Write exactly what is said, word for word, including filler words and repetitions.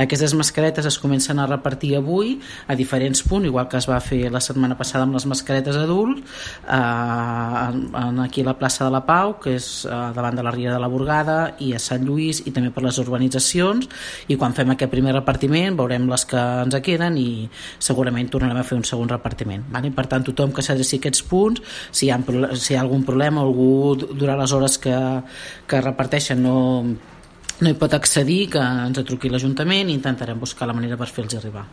Aquestes mascaretes es comencen a repartir avui a diferents punts, igual que es va fer la setmana passada amb les mascaretes adults, eh, aquí a la plaça de la Pau, que és eh, davant de la Riera de la Burgada, i a Sant Lluís, i també per les urbanitzacions, i quan fem aquest primer repartiment veurem les que ens queden i segurament tornarem a fer un segon repartiment, vale? Per tant, tothom que s'adreci a aquests punts, si hi ha, si hi ha algun problema, algú durant les hores que, que reparteixen no no hi pot accedir, que ens truqui l'Ajuntament i intentarem buscar la manera per fer-los arribar.